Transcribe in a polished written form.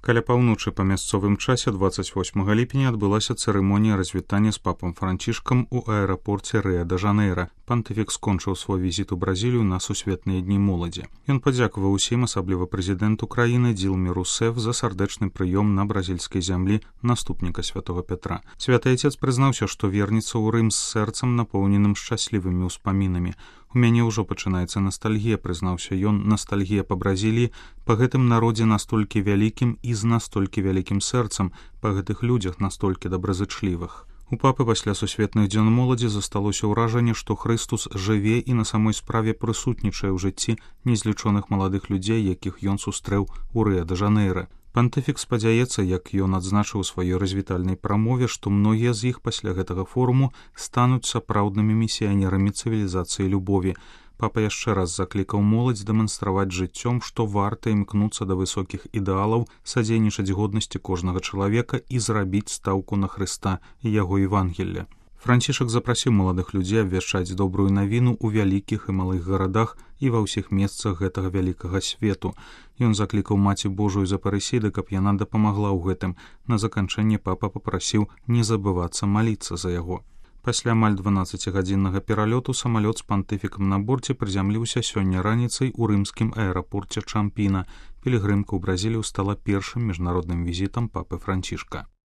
Каля паўночы па мясцовым часе 28 ліпеня адбылася цырымонія развітання з папам Францішкам у аэрапорце Рыа-де-Жанейра. Пантыфік скончыў свой візіт у Бразілію на сусветныя дні моладзі. Ён падзякаваў усім, асабліва прэзідэнту краіны Дилме Русеф за сардэчны прыём на бразільскай зямлі наступніка святого Петра. Святы Айцец прызнаўся, што вернецца ў Рым з сэрцам, напоўненым шчаслівымі ўспамінамі. У мяне ўжо пачынаецца настальгія, прызнаўся ён, настальгія па Бразіліі, па гэтым народзе настолькі вялікім і з настолькі вялікім сэрцам, па гэтых людзях настолькі добразычлівых. У папы пасля сусветных дзён моладзі засталося ўражанне, што Хрыстус жыве і на самой справе прысутнічае ў жыцці незлічоных маладых людзей, якіх ён сустрэў у Рыа-де-Жанейра. Пантыфік спадзяецца, як ён адзначыў у сваёй развітальнай прамове, што многія з іх пасля гэтага форуму стануць сапраўднымі місіянерамі цывілізацыі любові. Папа яшчэ раз заклікаў моладзь дэманстраваць жыццём, што варта імкнуцца да высокіх ідэалаў, садзейнічаць годнасці кожнага чалавека і зрабіць стаўку на Хрыста і яго Евангелля. Францішак запрасіў маладых людзей абвяшчаць добрую навіну ў вялікіх і малых гарадах і ва ўсіх месцах гэтага вялікага свету. Ён заклікаў Маці Божую з Апарысіды, каб яна дапамагла ў гэтым. На заканчэнне папа папрасіў не забывацца маліцца за яго. Пасля амаль 12-гадзіннага пералёту самалёт з пантыфікам на борце прызямліўся сёння раніцай у рымскім аэрапорце Чампіна. Пілігрымка ў Бразілію стала першым міжнародным візітам папы Францішка.